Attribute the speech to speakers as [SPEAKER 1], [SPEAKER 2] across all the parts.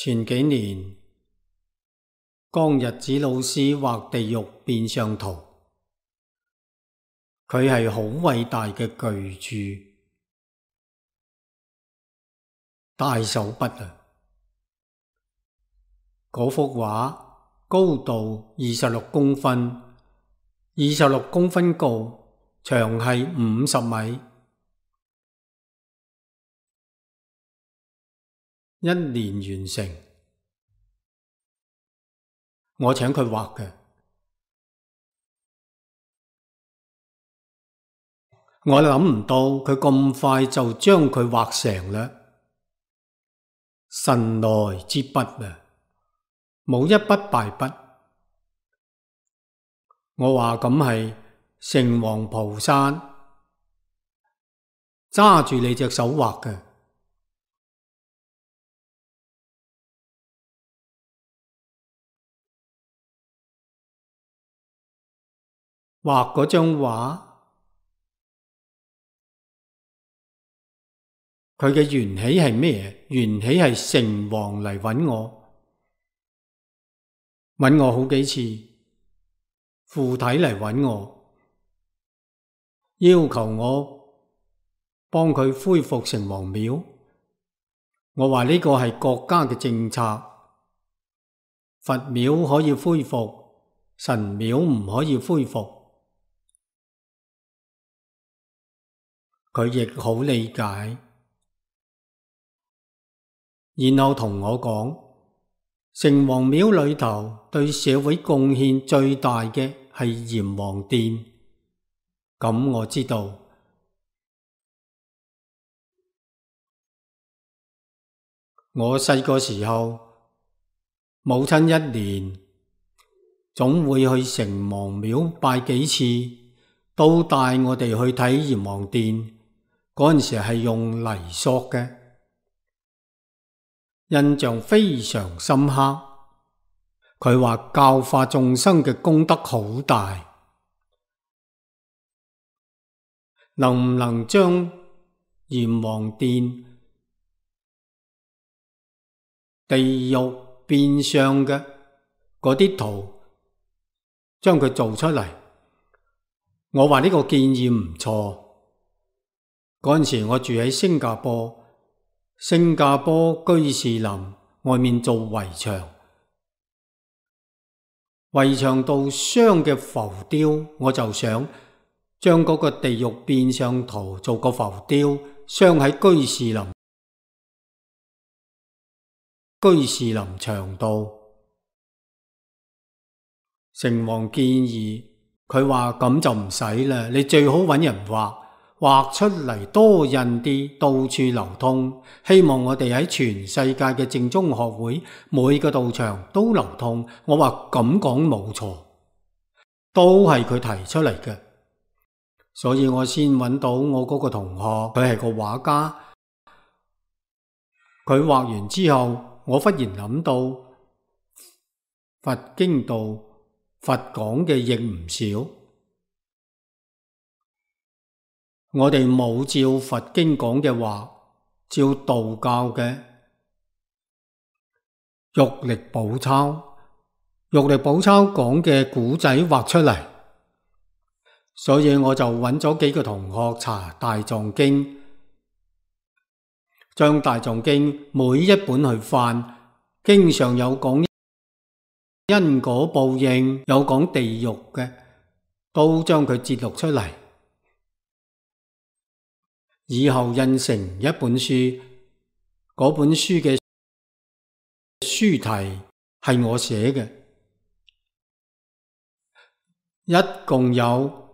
[SPEAKER 1] 前幾年，江日子老師畫地獄變相圖，佢係好偉大嘅巨著，大手筆啊！嗰幅畫高度26公分，26公分高，長係50米，1年完成。我請佢畫嘅，我諗唔到佢咁快就將佢畫成啦，神來之筆啊！冇一筆敗筆。我話咁係城隍菩薩揸住你隻手畫嘅。畫嗰張畫，佢嘅緣起係咩？緣起係城隍嚟搵我好幾次，附體嚟搵我，要求我幫佢恢復城隍廟。我話呢個係國家嘅政策，佛廟可以恢復，神廟唔可以恢復。佢亦好理解，然後同我講，城隍廟裏頭對社會貢獻最大嘅係閻王殿。咁我知道，我細個時候，母親1年總會去城隍廟拜幾次，都帶我哋去睇閻王殿。嗰陣時係用泥塑嘅，印象非常深刻。佢話教化眾生嘅功德好大，能唔能將閻王殿地獄變相嘅嗰啲圖，將佢做出嚟？我話呢個建議唔錯。嗰陣時我住喺新加坡居士林外面做圍牆，圍牆度鑲嘅浮雕，我就想將嗰個地獄變相圖做個浮雕，鑲喺居士林牆度。城隍建議，佢話咁就唔使啦，你最好搵人畫出嚟多印啲，到處流通，希望我哋喺全世界嘅正宗學會每個道場都流通。我話咁講冇錯，都係佢提出嚟嘅，所以我先揾到我嗰個同學，佢係個畫家。佢畫完之後，我忽然諗到佛經度佛講嘅亦唔少。我哋冇照佛經講嘅話，照道教嘅玉歷寶鈔講嘅古仔畫出嚟，所以我就揾咗幾個同學查大藏經，將大藏經每一本去翻，經常有講因果報應，有講地獄嘅，都將佢節錄出嚟。以後印成一本書，嗰本書嘅書題係我寫嘅，一共有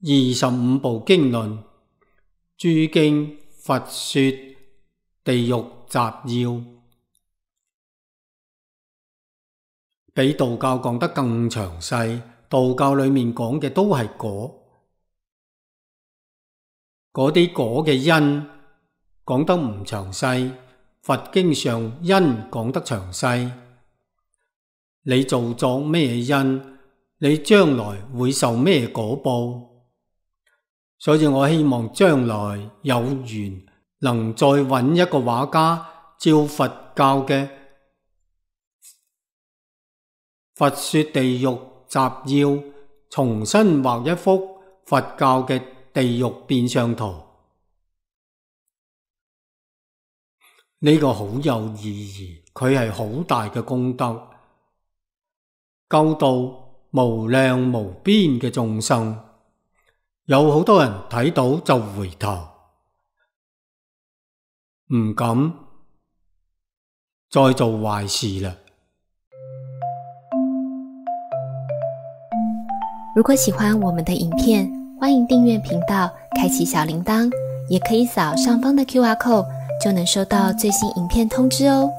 [SPEAKER 1] 25部經論，諸經佛說地獄集要，比道教講得更詳細。道教裏面講嘅都係果。嗰啲果嘅因講得唔詳細，佛經上因講得詳細。你做作咩因，你將來會受咩果報。所以我希望將來有緣能再揾一個畫家照佛教嘅佛說地獄集要，重新畫一幅佛教嘅地獄變相圖。呢個好有意義，佢係好大嘅功德，救度無量無邊嘅眾生。有好多人睇到就回頭，唔敢再做壞事啦。
[SPEAKER 2] 如果喜歡我們的影片，歡迎訂閱頻道，開啟小鈴鐺，也可以掃上方的QR code，就能收到最新影片通知哦。